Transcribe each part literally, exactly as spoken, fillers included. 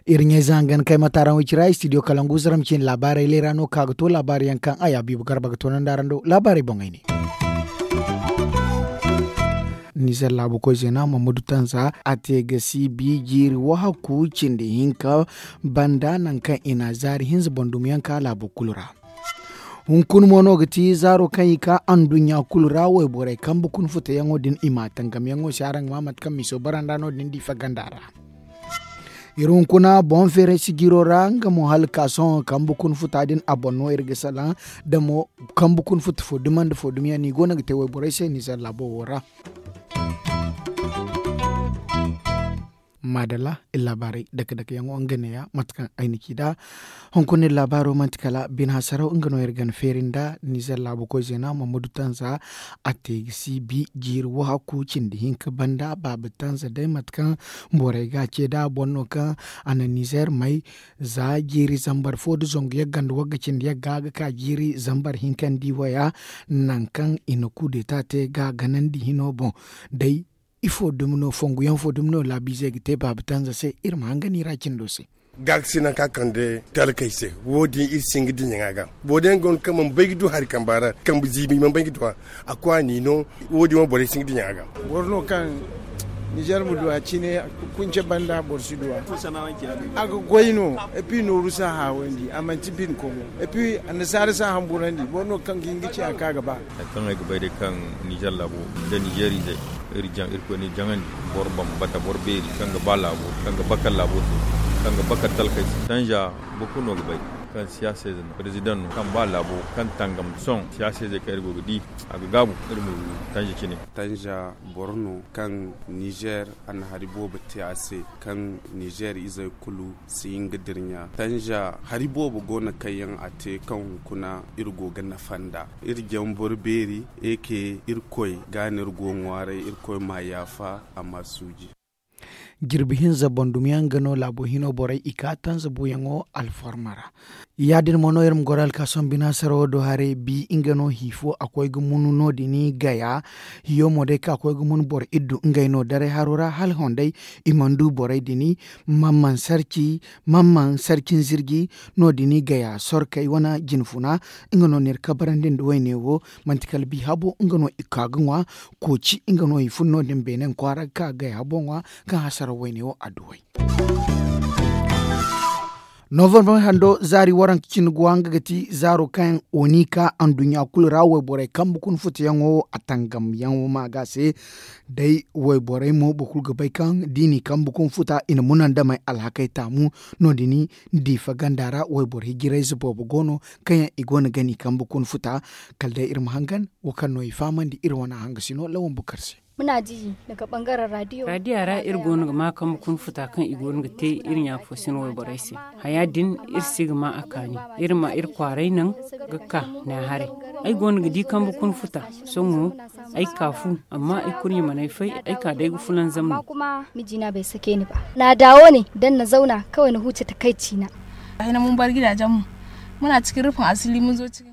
Iri ɲayze hangan kay ma taaraŋ way cira studio kalangu zaram cine laabaarey leera no ka ga to laabaari yaŋ kaŋ a ya biibu garba ga toonandi araŋ do laabaarey boŋey ne. Nizer laabu koy zeena mamadu tanza a te ga si bi jiiri wahakku cindi hinka banda nangu kaŋ i na zaari hinza bandumiyaŋ ka laabu kulu ra. Hunkuna mo no ga ti zaaro kaŋ i ka anduɲɲa kulu ra wayborey kambe kuna futayaŋo din i ma tangamyaŋo se araŋ ga ma mate kaŋ miso baranda no din di faganda ra. Iri hunkuna boŋ feeray sijiro ra nga mo hala ka sohõ kambe kuna futa din a boŋ no iri ga salaŋ da mo kambe kuna futa fo dumandi fo dumiyaŋ no i go no ga te wayborey se nizer laabo wo ra. Maadalla iri laabaarey dake dake yaŋo nga neeya mate kaŋ ay na ci nd'a. Hunkuna iri laabaaro manti kala bine hasaraw nga no iri ga ni feeri nd'a nizer laabu koy zeena mamadu tanza a te ga si bi jiiri wahakku cindi hinka banda baaba tanza day mate kaŋ borey ga a ce nd'a boŋ no kaŋ a na nizer may za jiiri zambar fo nda zangu yagga nda wagga cindi yagga ga ka jiiri zambar hinka nda i waya nangu kaŋ i na kuudeta te ga ganandi hino boŋ day. Ifo dumi no fonguyaŋ fo dumi no laabiizey ga te baaba tanza se iri ma hangan i ra cindo se. Gaakasi nanka kande talkey se wo- din iri si hin ga diɲaŋ a ga. Boro day yaŋ go no kaŋ mana bay ga du hari kamba ra kambe ziibi i mana bay ga du a. A kwaani no wo- din wo borey si hin ga diɲaŋ a ga. Boro no kaŋ nizer ma du a cine kunce banda boro si du a. A ga goy no epi nooru si a haawandi a manti bine komo epi annasaara si a hamburandi boro no kaŋ ga hin ga ci a kaŋ a ga ba. Hari kaŋ ay ga bay day kaŋ nizer laabo nda nizer izey iri jaŋ irkoy no iri jaŋandi. Boro bambata boro beeri kaŋ ga ba laabo kaŋ ga bakar laabo se kaŋ ga bakar talkey se tanja boro kulu no ga bay kaŋ siyaasa ize no perezidaŋ no kaŋ ba laabo kaŋ tangam sohõ siyaasa izey kaŋ iri go ga di a ga gaabu iri ma du tanja cine. Tanja boro no kaŋ nizer a na hari boobo te a se kaŋ nizer izey kulu si hin ga dirɲa tanja hari boobo go no kaŋ yaŋ a te kaŋ hunkuna iri go ga nafa nd'a. Iri jaŋ boro beeri eke irkoy ga no iri go ŋwaaray irkoy m'a yaafa a m'a suuji. Jirbi hinza bandumiyaŋ ga no laabo hino borey i ka tanza buuyaŋo alfarma ra. Ya- din mo no iri ma goro alkaason binaasarawo do haray bi nga no hi fo a koy ga munu no- din gaya. Hiyo mo day kaŋ a koy ga munu boro iddu ngey no daray haro ra hala honday i mana du borey din. Mamman sarci mamman sarcin zirji no- din gaya sorkey wane jinfuna nga no n'iri kabarandi nda wayne wo. Manti kala bi habo nga no i ka ga ŋwa kooci nga no i fun no- din beene kwaara ga ka ga gay habo ŋwa kaŋ hasaraw wayne wo adduwey. Novembre hando zaari waranka cine ga wa nga ga ti zaaro kaŋ oni ka anduɲɲa kulu ra wayborey kambe kuna futayaŋo a tangamyaŋo ma ga se. Day wayborey mo boro kulu ga bay kaŋ da i n'i kambe kuna futa i na munandamey alhakey taamu. No- din diifa ganda ra wayboro hijirayze boobo go no kaŋ yaŋ i go no ga n'i kambe kuna futa. Kala day iri ma hangan wo kaŋ no i fahamandi iri wane hangasino lawan bukar se. Muna di daga bangaren radiyo. Radiya ra iri go no ga ma kambe kuna futa kaŋ i go no ga te iri ɲaafo sina wayborey se. Haya din iri si ga ma a kaani. Iri ma iri kwaaray naŋ ga ka ne haray. Ay go no ga di kambe kuna futa sohõ ay ka fu amma ay kurɲe mana ay fay ay ka day ga fulanzam no. Kuma mijina bai sake ni ba na dawo ne dan na zauna kawai na huce takaicina. Hina mun bar gidajenmu muna cikin rufin asiri mun zo cikin.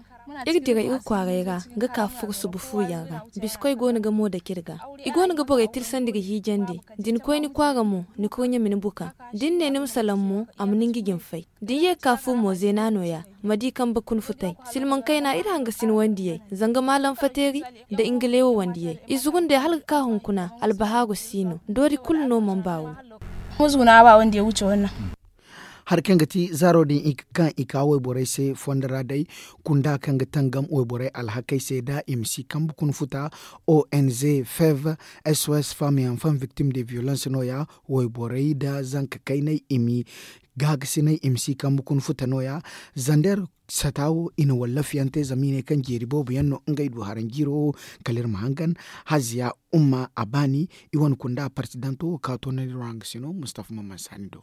Iri dira iri kwaaray ra ga ka furo subu fu yaŋ ra. Bisikoy go no ga mo dake iri ga. I go no ga borey tirsandi ga hiijandi. Da ni koy ni kwaara mo ni kurɲe ma ni buka. Da ni ne ni ma salaŋ mo a ma ni nga jin fay. Da ni ye ga ka fu mo zeena no- ya. Ma di kambe kuna futay silmaŋ kayna iri hangasin wandiyey zanga maalam fateeri nda ingalewo wandiyey i zurundey hala ga ka hunkuna albahaaru si no doori kulu no mana baaru. Hari kaŋ ga ti zaaro din kaŋ i ka wayborey se fondo ra day kunda kaŋ ga tangam wayborey alhakey se da i ma si kambe kuna futa. Ong fev sos femme et enfant victime de violence no- ya wayborey nda zanka kayney i ma gaagasinay i ma si kambe kuna futa no- ya. Zander sata wo i na wallafiyaŋ te zama i ne kaŋ jeeri boobo yaŋ no ngey du haranjiiro wo. Kala iri ma hangan haziya umma a baani i wane kunda parsidanto wo ka toonandi iri wo hangasino mustafa mamman saani do.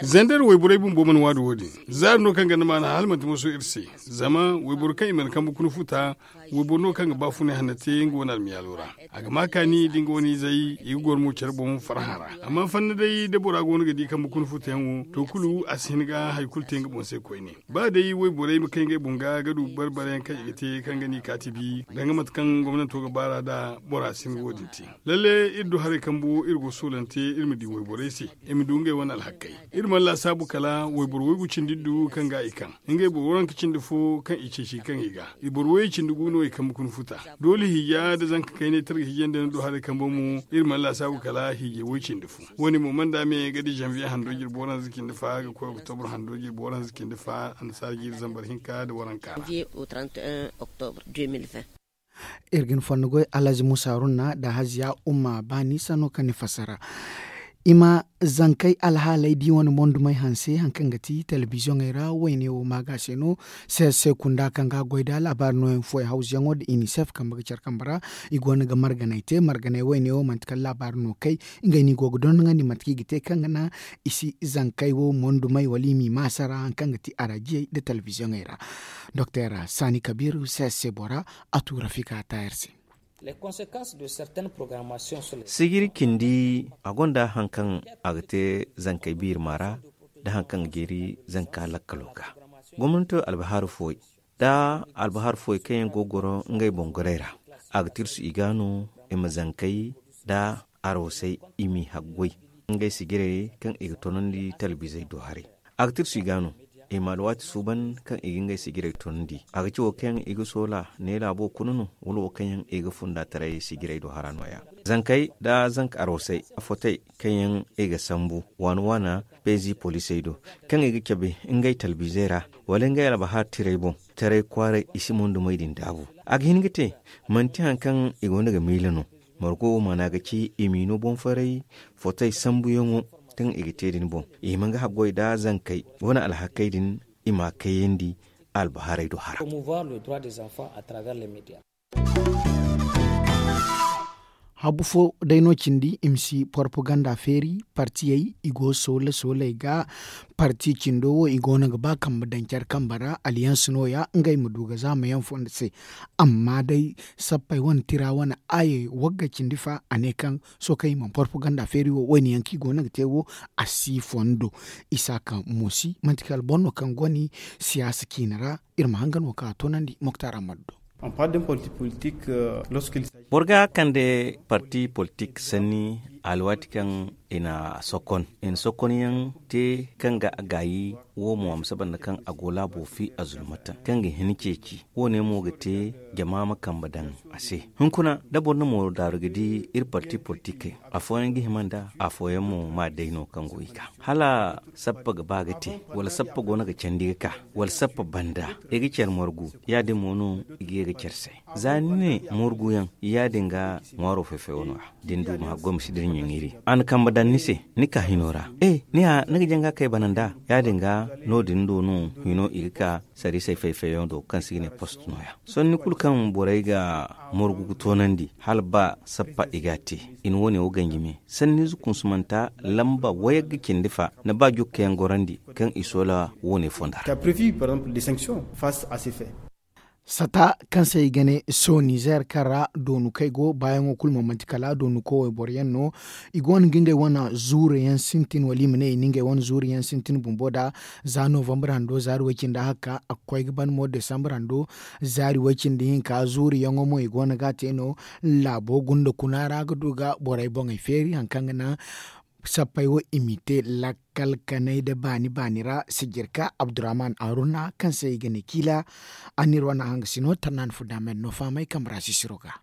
Zander wayborey bumbo mana waadu wo- din zaari no kaŋ ganda maana hala manti moso iri se. Zama wayboro kaŋ i mana kambe kuna futa Wayboro no kaŋ ga baafunay hanno te nga wane almiyaalo ra. A ga ma kaani da nga wane izey i ga goro mo care boŋ farhã ra. Amma fanna day da bora go no ga di kambe kuna futayaŋo to kulu a si hin ga hari kulu te nga boŋ se koyne. Ba day wayborey ma kay ngey boŋ ga ga du barbarayaŋ kaŋ i ga te kaŋ ga ni kaati bi danga mate kaŋ gomnanto ga baar'a nd'a. Bora si hin ga wo- din te. Lalle iri du haray kambo iri go soolante iri ma di wayborey se i ma du ngey wane alhakkey. Iri mana laasaabu kala wayboro waygu cindi du kaŋ ga i kaŋ ngey boro waranka cindi fo kaŋ i ceeci kaŋ i ga i boro wayey cindi gu no i kambe kuna futa. Doole hiija nda zanka kaynay targa hiijandi no du haray kambo mo iri mana laasaabu kala hiijay way cindi fo. Wo- ne mo mana da me ga di zanviye hando jirbi waranza cindi fa ga koy oktobro hando jirbi waranza cindi fa annasaara jiiri zambar hinka nda waranka ra. Iri ga ni fonda goy alhazi musa runna nda haziya umma baani sanno kaŋ ni fassara. I ma zankey alhaaley di wane mondumey hanse hari kaŋ ga ti telebiziyoŋey ra wayne wo ma ga se no. Seese kunda kaŋ ga goy nda laabaari nooyaŋ fooyaŋ hawzuyaŋo nda inisef kambe ga care kambe ra i go no ga marganey te marganey wayne wo manti kala laabaari no kay. Ngey no i go ga dondonandi mate kaŋ i ga te kaŋ ga naŋ i si zankey wo mondumey wala i m'i maasa ra hari kaŋ ga ti araajiyey nda telebiziyoŋey ra. Doktor saani kabiiru seese bora a tu rafika taayar se. Sijiri cindi a gonda hari kaŋ a ga te zankey biiri ma ra nda hari kaŋ ga jeeri zanka lakkalo ga. Gomnanto albahaaru fooyaŋ da albahaaru fooyaŋ kaŋ yaŋ go ga goro ngey boŋ gorey ra a ga tirsu i ga no i ma zankey nda arosey i m'i haggoy ngey sijirey kaŋ i ga toonandi talbizey do haray. A ga tirsu i ga no i ma alwaati suuban kaŋ i ga ngey sijirey toonandi a ga ci wo kaŋ yaŋ i ga soola ne laabo kuna no wala wo kaŋ yaŋ i ga funda taray sijirey do hara nooya. Zankey nda zanka arosey afotey kaŋ yaŋ i ga sambu waana waana peezi poliisey do kaŋ i ga cabe ngey talbizey ra wala ngey albahar tirey boŋ taray kwaaray i si mondumey din daabu. A ga hin ga te manti hari kaŋ i go no ga miila no. Margo wo maana ga ci i m'i no boŋ faray fotey sambuyaŋo kaŋ i ga te din boŋ i hima ga haggoy nda zankey wane alhakey din i m'a kayandi albaharey do hara. Habu fo day no cindi i ma si porpoganda feeri partiyey i go soola sooley ga. Parti cindo wo i go no ga ba kambe daŋ care kambe ra alliyanse nooya ngey ma du ga zaamayaŋ fondo se. Amma day sappey wane tira wane aayey wagga cindi fa a ne kaŋ sohõ kaŋ i mana porpoganda feeri wo wo- ne yaŋ kaŋ i go no ga te wo a si fondo. Isaaka moosi manti kala boro no kaŋ goni siyaasa ciine ra. Iri ma hangan wo kaŋ a toonandi moktar ammadu do. Boro ga kande parti politik sanni alwaati kaŋ i na sokon i na sokon yaŋ te kaŋ ga a gaayi wo mo a ma saba nda kaŋ a go laabo fi a zulmata kaŋ ga hin ceeci wo- ne mo ga te jama ma kambe daŋ a se. Hunkuna da boro na mooro daaru ga di iri parti politikey afooyaŋ ga hima nda afooyaŋ mo ma day no kaŋ go i ga hala sappa ga ba ga te wala sappa go no ga candi ga ka wala sappa banda i ga care margu ya- din mo no i ga ye ga care se. Za ni ne margu yaŋ ya- din ga ŋwaaro fay-fayo no- ya da ni du ma haggoy ma si dira ɲaŋiri a na kambe daŋ ni se ni ka hino ra e ni ga janga kay bana nda ya- din ga no- din do no hino i ga ka sariisey fay-fayyaŋo do kaŋ se i ga ne post no- ya. Sanni kulu kaŋ borey ga morgu ga toonandi hala ba sappa i ga a te i na wo- ne wo ganji me sanniize kunsumanta lamba wayagga cindi fa ni ba jukkayaŋ gorandi kaŋ i soola wo- ne fondo ra. Sata kaŋ se i ga ne soonizeer kaŋ ra doonu kaŋ ay go baayaŋo kulu mo manti kala doonu koy wayboro yaŋ no. I go no ga ngey wane zuuru yaŋ sintin wala i ma ne i na ngey wane zuuru yaŋ sintin bumbo nda za novambar hando zaari way-cindi haka a ga koy ga ban mo desambar hando zaari way-cindi hinka zuuru yaŋo mo i go no ga a te no. Laabo gunda kuna ra ga du ga borey boŋey feeri hari kaŋ ga naŋ sappey wo i m'i te lakkal kanay nda baani baani ra sijirka abdurrahman haruna kaŋ se i ga ne kiila. A n'iri wane hangasino tarnaani funda men no fahamay kambe ra sisiro ga.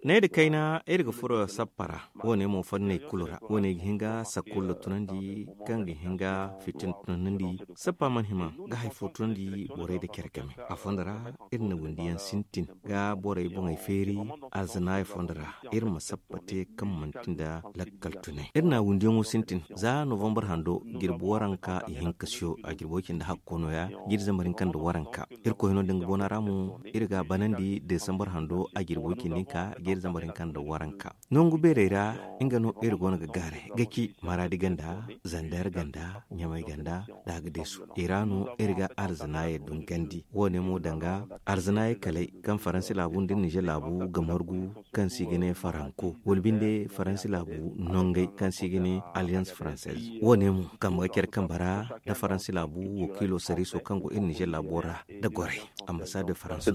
Needa kayna iri ga furo sappa ra. Wo- ne mo fanney kulu ra wo- ne ga hin ga sakkulla tunandi kaŋ ga hin ga fitina tunandi. Sappa mana hima ga hari fo tunandi borey nda care game a fondo ra. Iri na windi yaŋ sintin ga borey boŋey feeri alzanaaya fondo ra iri ma sappa te kaŋ manti nda lakkal tunay iri na windi yaŋo sintin za novambar hando jirbi waranka ihinka siyo a jirbo cindi hakko no- ya. Jiri zambar hinka nda waranka irkoy no da nga boona ra mo iri ga a banandi desambar hando a jirbo cindi hinka. iri zambar hinka nda waranka. Nangu beerey ra, nga no iri go no ga gaaray ga ci maraadi ganda, zander ganda, ɲamay ganda, da agadeesu. I ra no iri ga alzanaayey dungandi. Wo- ne mo danga alzanaayey kalay kaŋ faransi laabu nda nizer laabu ga margu, kaŋ se i ga ne faranko wala binde faransi laabu nongey kaŋ se i ga ne alliance française. Wo- ne mo kambe ga care kambe ra nda faransi laabu wakiilo sariiso kaŋ go iri nizer laabo ra, nda goray ambassade de faransi.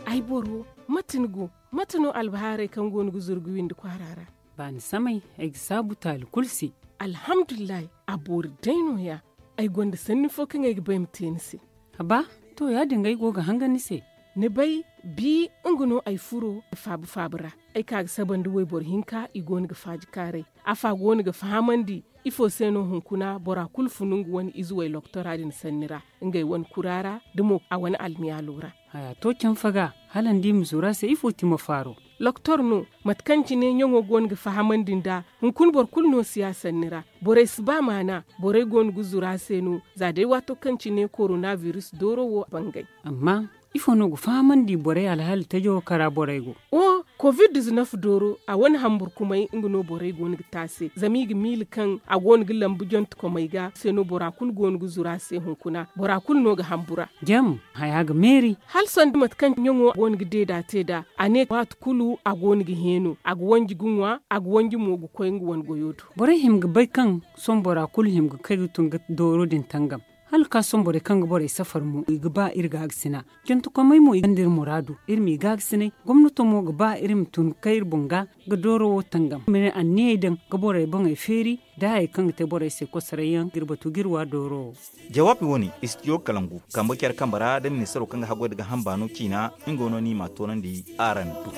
Ay boro, mate ni go? Mate no albahaarey kaŋ go no ga zuru ga windi kwaara ra? Baani samay, ay ga saabu taali kulu se. Alhamdulillahi, a boori day no- ya. Ay gonda sanni fo kaŋ ay ga ba ay ma te ni se. Haba, to, ya- din ga ay go ga hangan ni se. Ni bay, bi nga no ay furo faaba faaba ra. Ay ka ga saba nda wayboro hinka, i go no ga faaji kaaray. Afa go no ga fahamandi ifo se no hunkuna bora kulu funu nga wane ize way loktora din sanni ra, ngey wane kura ra, da mo a wane almiyaalo ra. Haya to canfa ga, hala ni di ma zuru a se ifo ti ma faaro? Loktor no, mate kaŋ cine ɲaŋo go no ga fahamandi nd'a. Hunkuna boro kulu no si ya sanni ra. Borey si ba maana. Borey go no ga zuru a se no, za day waato kaŋ cine korona biris dooro wo bangay. Amma ifo no ga fahamandi borey alhaali tajo kara borey go? O, covid diznef dooro, a wane hamburkumay nga no borey go no ga te a se, zama i ga miila kaŋ a go no ga lambu jonte komey ga se no bora kulu go no ga zuru a se hunkuna. Bora kulu no ga hambu ra. Jam, haya ga meeri. Hala sanda mate kaŋ ɲaŋo go no ga deeda te nd'a, a ne waati kulu a go no ga heeno, a ga wanji ga ŋwa, a ga wanji mo ga koy nga wane goyo do. Borey hima ga bay kaŋ sohõ bora kulu hima ga kay ga tun ga dooro din tangam. Hala ka sohõ borey kaŋ ga borey safar mo i ga ba iri gaagasina. Jantakomey mo i gonda iri muraadu, iri m'i gaagasinay. Gomnato mo ga ba iri ma tun ga kay iri boŋ ga ga dooro wo tangam, ma ne anniyey daŋ ga borey boŋey feeri, da hayey kaŋ ga te borey se kosoray yaŋ ga iri batu ga iri wa dooro wo. Jawaabi wane istidiyo kalangu kambe care kambe ra da ministaro kaŋ ga haggoy da ga hamba no ciina, nga no ni ma toonandi araŋ do.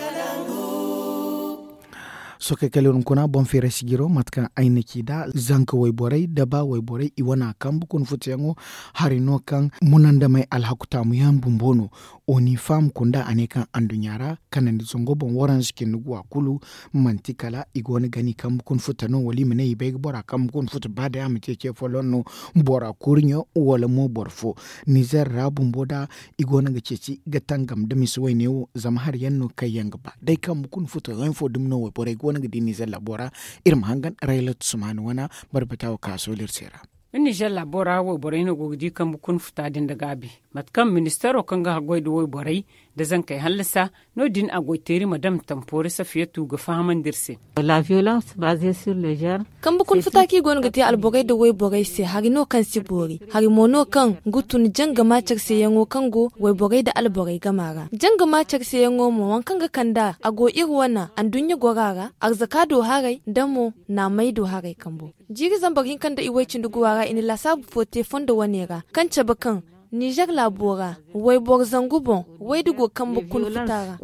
Sookey kala iri hunkuna boŋ feeray sijiro mate kaŋ ay na ci nd'a, zanka wayborey da ba wayborey i wane a kambe kuna futuyaŋo. Hari no kaŋ munandamey alhaku taamuyaŋ bumbo no. Oni fam kunda a ne kaŋ anduɲɲa ra kanandi zango boŋ waranza cindi guwa kulu, manti kala i go no ga ni kambe kuna futa no wala i ma ne i bay ga bora kambe kuna futa ba day a ma ce ce folloŋ no, bora kurɲo wala mo boro fo. Nizer ra bumbo da i go no ga ceeci ga tangam da misa wayne wo zama hari yaŋ no kaŋ yaŋ ga ba day kambe kuna futa yaŋ fo dumi no wayborey go no ga di nizer laabo ra. Iri ma hangan raylat sumaani wana barbata wo ka sooli iri se ra. Nizer laabo ra wayborey no go ga di kambe kuna futa din da gaabi. Mate kaŋ ministaro kaŋ ga haggoy da wayborey da zankey hallasa, no- din a goy teeri ma dam tampoori safiyatu ga fahamandi iri se. Kambe kuna futa kaŋ i go no ga te alborey da wayborey se hari no kaŋ si boori. Hari mo no kaŋ ga tun janga maacar seyaŋo kaŋ go wayborey da alborey gama ra. Janga maacar seyaŋo mo waŋ kaŋ ga kand'a a go iri wane anduɲɲa gora ra, arzaka do haray nda mo naamay do haray kambo. Jiiri zambar hinka nda iway cindi guwa ra i na laasaabu fo te fondo wane ra kaŋ cabe kaŋ nizer laabo ra wayboro zangu boŋ wayda go kambe kuna futa ra.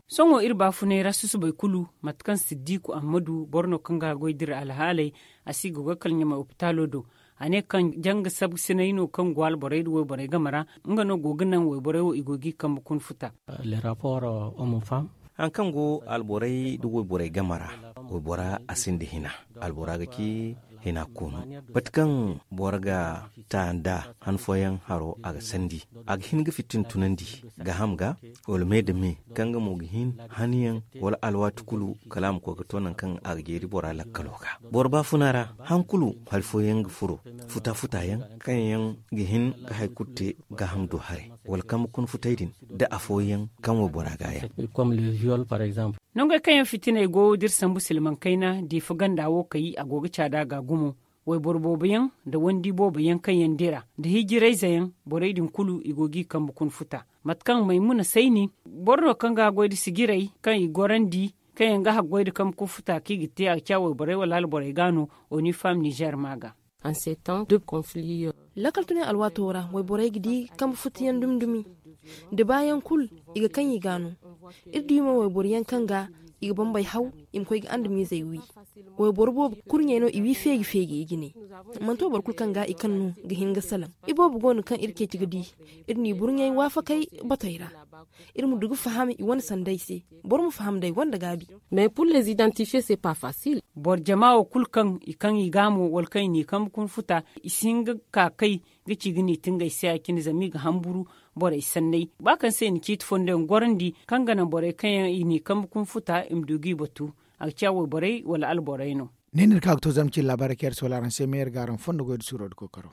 Sohõ iri baafunay ra susubay kulu, mate kaŋ siddiku ammadu boro no kaŋ ga haggoy da iri alhaaley, a si ga goy kala ɲamay opitaalo do. A ne kaŋ janga sabu sinay no kaŋ go alborey da wayborey game ra, nga no go ga naŋ wayborey wo i go g'i kambe kuna futa. Hari kaŋ go alborey da wayborey game ra, waybora a sinda hina. Albora ga ci hina koonu. Mate kaŋ boro ga ta nd'a han fooyaŋ haro a ga sandi, a ga hin ga fitina tunandi gaaham ga, wala me nda me kaŋ nga mo ga hin haniyaŋ wala alwaati kulu kala a ma koy ga to nangu kaŋ a ga jeeri bora lakkalo ga. Boro baafuna ra, han kulu hari fooyaŋ ga furo, futa futa yaŋ kaŋ yaŋ ga hin ga hari kulu te gaaham do haray, wala kambe kuna futay din, da afooyaŋ kaŋ waybora ga yaŋ. Nangey kaŋ yaŋ fitiney go da iri sambu silmaŋ kayna diifa ganda wo kay a go ga caada ga gumo. Wayboro boobo yaŋ nda wandi boobo yaŋ kaŋ yaŋ dira nda hijirayze yaŋ, borey din kulu i go g'i kambe kuna futa. Mate kaŋ maymuna sayni, boro no kaŋ ga haggoy nda sijirey kaŋ i gorandi, kaŋ yaŋ ga haggoy nda kambe kuna futa kaŋ i ga te a ga ci a wayborey wala alborey ga no. Onifam nizer ma ga. Lakkal tunay alwaato ra wayborey ga di kambe futa yaŋ dumi dumi, nda baayaŋ kulu i ga kaŋ i ga no. Iri di mo wayboro yaŋ kaŋ ga i ga bambey haw, i ma koy ga andamiizey wi. Wayboro boobo kurɲey no i wi feeji feeji i jine. Manto boro kulu kaŋ ga i kaŋ no ga hin ga salaŋ. Iboobo go no kaŋ iri ceeci ga di. Iri n'i burɲey waafakey batey ra. Iri ma du ga faham i wane sanday se. Boro ma faham day gonda gaabi. Mais pour les identifier c'est pas facile. Boro jama wo kulu kaŋ i kaŋ i gaamo wala kaŋ i n'i kambe kunfuta, i si hin ga ka kay ga ci ga n'i tingay se ya- cine zama i ga hamburu borey sanney ba kaŋ se i na ciiti fondo yaŋ gorandi kaŋ ga naŋ borey kaŋ yaŋ i n'i kambe kunfuta i ma du g'i batu. A ga ci a wayborey wala alborey no. Ne no iri ka ga to zarma cine laabaarey kaŋ iri soola araŋ se meyer ga araŋ fondo goy nda suuro nda kookaro.